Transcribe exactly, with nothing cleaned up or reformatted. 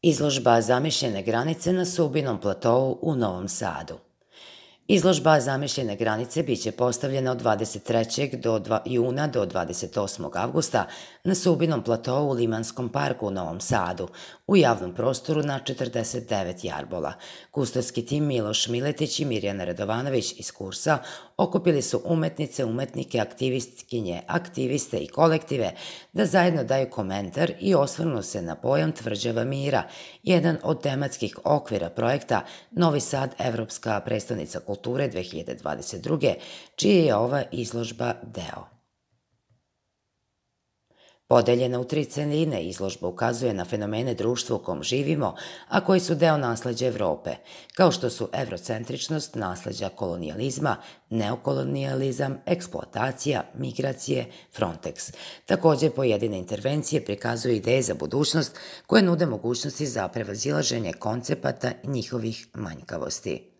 Izložba zamišljene granice na Subinom platou u Novom Sadu. Izložba zamišljene granice biće postavljena od dvadeset trećeg juna do dvadeset osmog avgusta na Subinom platou u Limanskom parku u Novom Sadu, u javnom prostoru na četrdeset devet jarbola. Kustorski tim Miloš Miletić i Mirjana Radovanović iz kursa okupili su umetnice, umetnike, aktivistkinje, aktiviste i kolektive da zajedno daju komentar i osvrnu se na pojam tvrđava mira, jedan od tematskih okvira projekta Novi Sad, Evropska prestonica kulture dve hiljade dvadeset druge, čije je ova izložba deo. Podeljena u tri celine, izložba ukazuje na fenomene društva u kom živimo, a koji su deo nasleđa Evrope, kao što su evrocentričnost, nasleđa kolonijalizma, neokolonijalizam, eksploatacija, migracije, Frontex. Takođe, pojedine intervencije prikazuju ideje za budućnost koje nude mogućnosti za prevazilaženje koncepata njihovih manjkavosti.